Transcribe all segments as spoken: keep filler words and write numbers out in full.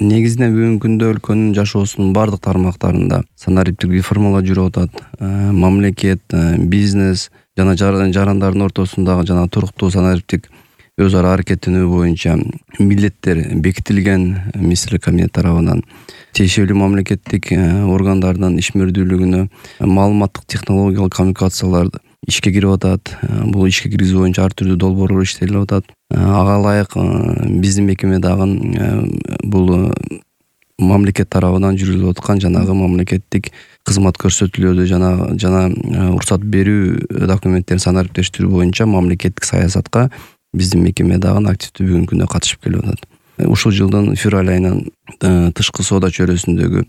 Негизинен бүгүнкү күндө өлкөнүн жашоосунун бардык тармактарында санариптик реформалар жүрүп атат. Мамлекет, бизнес жана жарандардын ортосундагы жана туруктуу санариптик өз ара аракеттенүү боюнча милдеттер бекитилген министрлик кабинети тарабынан. Тиешелүү мамлекеттик органдардын ишмердүүлүгүнө маалыматтык технологиялык коммуникациялар ишке кирип атат. Бул ишке киргизүү боюнча ар түрдүү долбоорлор иштелип атат. Ага ылайык биздин мекеме дагы бул мамлекет тарабынан жүргүзүлүп аткан жанагы мамлекеттик кызмат көрсөтүүлөрдү жана жана уруксат берүү документтерин санариптештирүү боюнча мамлекеттик саясатка биздин мекеме дагы активдүү бүгүнкү күндө катышып келип атат. Ушул жылдын февраль айынан тышкы соода чөйрөсүндөгү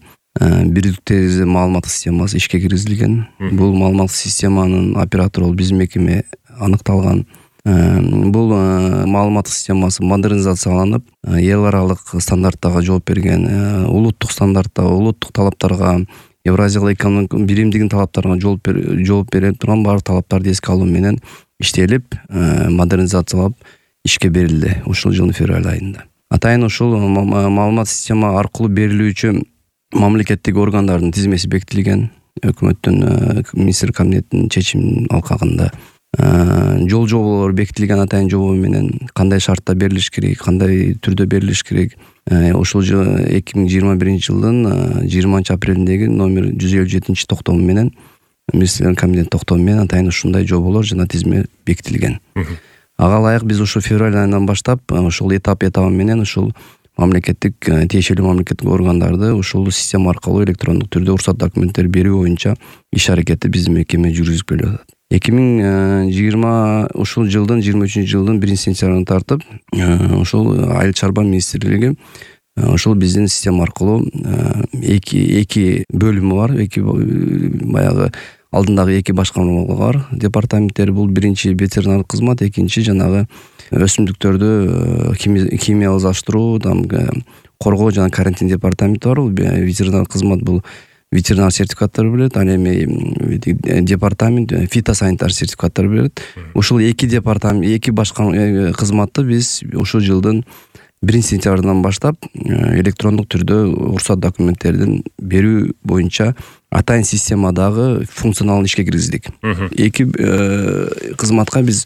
бирдиктүү терезе маалыматтык системасы ишке киргизилген. Бул маалыматтык системанын оператору бол биздин мекеме аныкталган. Бул маалыматтык системасы модернизацияланып, эл аралык стандарттарга жооп берген, улуттук стандарттарга, улуттук талаптарга, Евразиялык экономикалык биримдигинин талаптарына жооп жооп бере турган баардык талаптарды эске алуу менен иштелип, модернизациялап ишке берилди ушул жылдын февраль айында. Атайын ушул маалымат система аркылуу берилүүчү мамлекеттик органдардын тизмеси бекитилген. Өкмөттүн министрлик кабинетинин чечиминин алкагында жол жоболор бекитилген. Атайын жобо менен кандай шартта берилиш керек, кандай түрдө берилиш керек. Ушул жыл эки миң жыйырма биринчи жылдын жыйырманчы апрелиндеги номер жүз элүү жетинчи токтому менен министрлик кабинет токтому менен атайын ушундай жоболор жана тизме бекитилген. Ага ылайык биз ушул февраль айынан баштап ушул этап этабы менен ушул мамлекеттик тиешелүү мамлекеттик органдарды ушул система аркылуу электрондук түрдө уруксат документтер берүү боюнча иш аракетти биздин мекеме жүргүзүп келип атат. эки миң жыйырма ушул жылдын жыйырма үчүнчү жылдын биринчи сентябрынан тартып ушул айыл чарба министрлиги ушул биздин система аркылуу эки эки бөлүмү бар, эки баягы алдындагы эки башкармалар бар. Департаменттер бул биринчи ветеринардык кызмат, экинчи жанагы өсүмдүктөрдү химиялаштыруу, коргоо жана карантин департаменти бар. Ветеринардык кызмат бул ветеринар сертификаттар берет, ал эми департамент фитосанитар сертификаттар берет. Ушул эки департамент, эки башкарма кызматты биз ушул жылдын биринчи сентябрынан баштап электрондук түрдө уруксат документтердин берүү боюнча атайын системадагы функционалын ишке киргиздик. Эки кызматка биз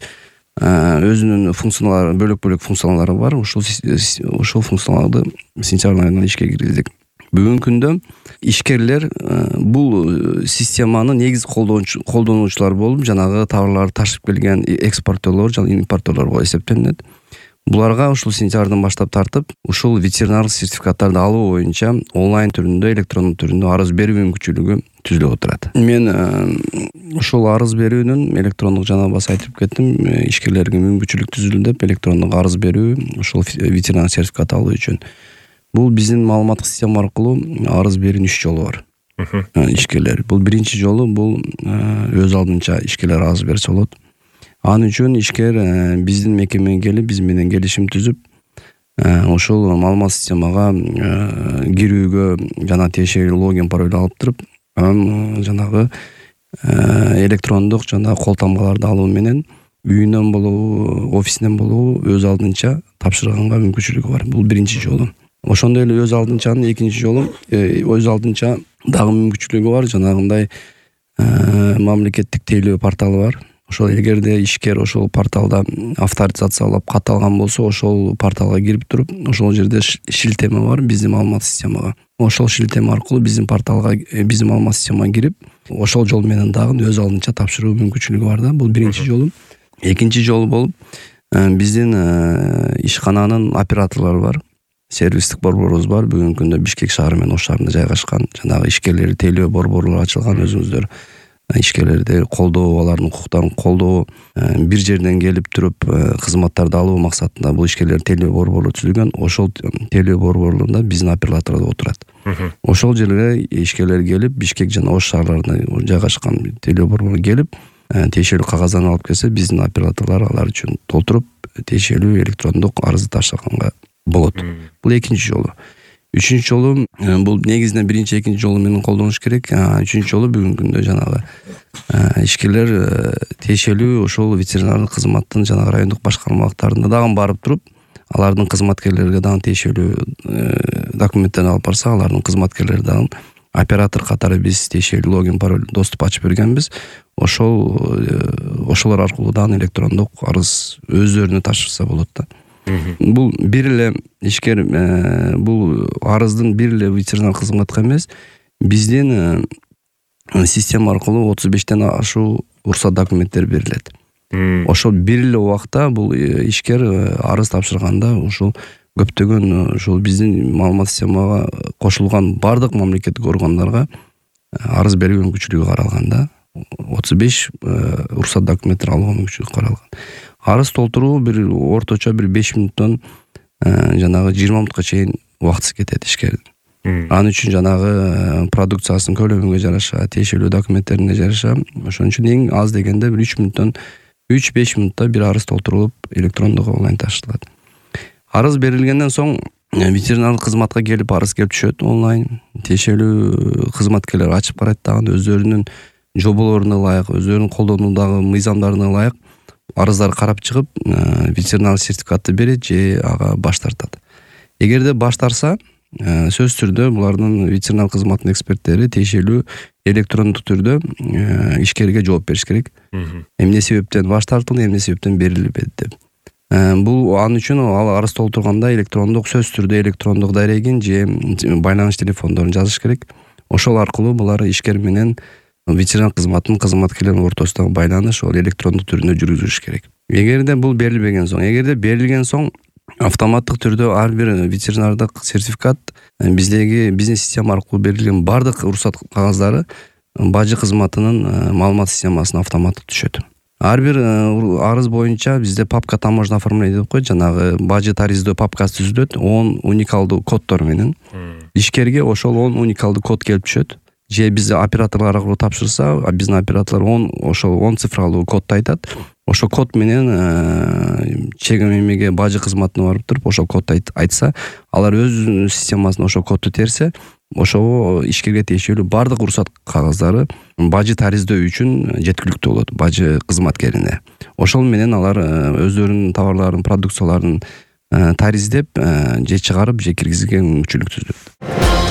өзүнүн функциялары, бөлөк-бөлөк функциялары бар. Ушул ушул функцияларды сентябрь айында ишке киргиздик. Бүгүнкү күндө ишкерлер бул системаны негиз колдонуучулар болуп, жанагы товарларды ташып келген экспортерлор жана импорттерлор болуп эсептелинет. Буларга ушул сентябрдан баштап тартып, ушул ветеринардык сертификаттарды алуу боюнча онлайн түрүндө, электрондук түрүндө арыз берүү мүмкүнчүлүгү түзүлүп отурат. Мен ушул арыз берүүнүн электрондук жана баса айтып кеттим, ишкерлерге мүмкүнчүлүк түзүлдү деп, электрондук арыз берүү ушул ветеринар сертификат алуу үчүн. Бул биздин маалыматтык система аркылуу арыз берүүнүн үч жолу бар. Ишкерлер бул биринчи жолу бул өз алдынча ишкерлер арыз берсе болот. Анын үчүн ишкер биздин мекемеге келип, биз менен келишим түзүп, ошол маалымат системага кирүүгө жана тиешелүү логин пароль алып туруп, жанагы электрондук жана кол тамгаларды алуу менен үйүнөн болобу, офисинен болобу өз алдынча тапшырганга мүмкүнчүлүгү бар. Бул биринчи жолу. Ошондой эле өз алдынчанын экинчи жолу өз алдынча дагы мүмкүнчүлүгү бар. Жанагындай мамлекеттик тейлөө порталы бар. Ошол эгерде ишкер ошол порталда авторизациялап катталган болсо, ошол порталга кирип туруп, ошол жерде шилтеме бар биздин маалымат системага. Ошол шилтеме аркылуу биздин порталга, биздин маалымат системага кирип, ошол жол менен дагы өз алдынча тапшыруу мүмкүнчүлүгү бар да. Бул биринчи жолу. Экинчи жолу болуп, биздин ишкананын операторлору бар. Сервистик борборубуз бар. Бүгүнкү күндө Бишкек шаары менен Ош шаарында жайгашкан. Жанагы ишкерлерди тейлөө борборлору ачылган, өзүңүздөр ишкерлерди колдоо, алардын укуктарын колдоо, бир жерден келип туруп кызматтарды алуу максатында бул ишкерлер тейлөө борбору түзүлгөн. Ошол тейлөө борборлорунда биздин операторлор отурат. Ошол жерге ишкерлер келип, Бишкек жана Ош шаарларында жайгашкан тейлөө борбору келип, тиешелүү кагаздарын алып келсе, биздин операторлор алар үчүн толтуруп, тиешелүү электрондук арызды таштаганга болот. Бул экинчи жолу. Үчүнчү жолу бул негизинен биринчи, экинчи жолу менен колдонуш керек. Үчүнчү жолу бүгүнкү күндө жанагы ишкерлер тиешелүү ошол ветеринардык кызматтын жанагы райондук башкармалыктарында дагы барып туруп алардын кызматкерлерге дагы тиешелүү документтерин алып барса, алардын кызматкерлери дагы оператор катары биз тиешелүү логин, пароль, доступ ачып бергенбиз. Ошол ошолор аркылуу дагы электрондук арыз өздөрүнө тапшырса болот да. Бул бир эле ишкер бул арыздын бир эле ветеринар кызматка эмес, биздин система аркылуу отуз бештен ашуу уруксат документтери берилет. Ошол бир эле убакта бул ишкер арыз тапшырганда ушул көптөгөн ушул биздин маалымат системага кошулган бардык мамлекеттик органдарга арыз берүү мүмкүнчүлүгү каралган да. отуз беш уруксат документтер алуу мүмкүнчүлүгү каралган. Арыз толтуруу бир орточо бир беш мүнөттөн жанагы жыйырма мүнөткө чейин убактысы кетет ишкердин. Анын үчүн жанагы продукциясынын көлөмүнгө жараша, тиешелүү документтерине жараша, ошон үчүн эң аз дегенде бир үч мүнөттөн үч беш мүнөттө бир арыз толтурулуп электрондук онлайн тапшырылат. Арыз берилгенден соң ветеринардык кызматка келип арыз келип түшөт онлайн. Тиешелүү кызматкерлер ачып карайт дагы өздөрүнүн жоболоруна ылайык, өздөрүнүн колдонуудагы мыйзамдарына ылайык арыздарды карап чыгып, ветеринар сертификатты берет же ага баш тартат. Эгерде баш тарса, сөзсүз түрдө булардын ветеринар кызматынын эксперттери тиешелүү электрондук түрдө ишкерге жооп бериш керек. Эмне себептен баш тартылды, эмне себептен берилбеди деп. Бул анын үчүн ал арыз толтурганда электрондук сөзсүз түрдө электрондук дарегин же байланыш телефондорун жазыш керек. Ошол аркылуу булар ишкер менен ветеринар кызматынын кызматкерлеринин ортосундагы байланыш ол электрондук түрүндө жүргүзүлүш керек. Эгерде бул берилбеген соң, эгерде берилген соң автоматтык түрдө ар бир ветеринардык сертификат биздеги бизнес система аркылуу берилген бардык уруксат кагаздары бажы кызматынын маалымат системасына автоматтык түшөт. Ар бир арыз боюнча бизде папка таможенное оформление деп коет, жанагы бажы тариздөө папкасы түзүлөт, он уникалдуу коддор менен. Ишкерге ошол он уникалдуу код келип түшөт. Же биз операторлор аркылуу тапшырса, биздин операторлор он ошол он цифралуу кодду айтат. Ошол код менен чегим эмеге бажы кызматына барып туруп, ошол кодду айтса, алар өз системасына ошол кодду терсе, ошого ишкерге тиешелүү бардык уруксат кагаздары бажы тариздөө үчүн жеткиликтүү болот бажы кызматкерине. Ошол менен алар өздөрүнүн товарларын, продукцияларын тариздеп, же чыгарып, же киргизүүгө мүмкүнчүлүк түзөт.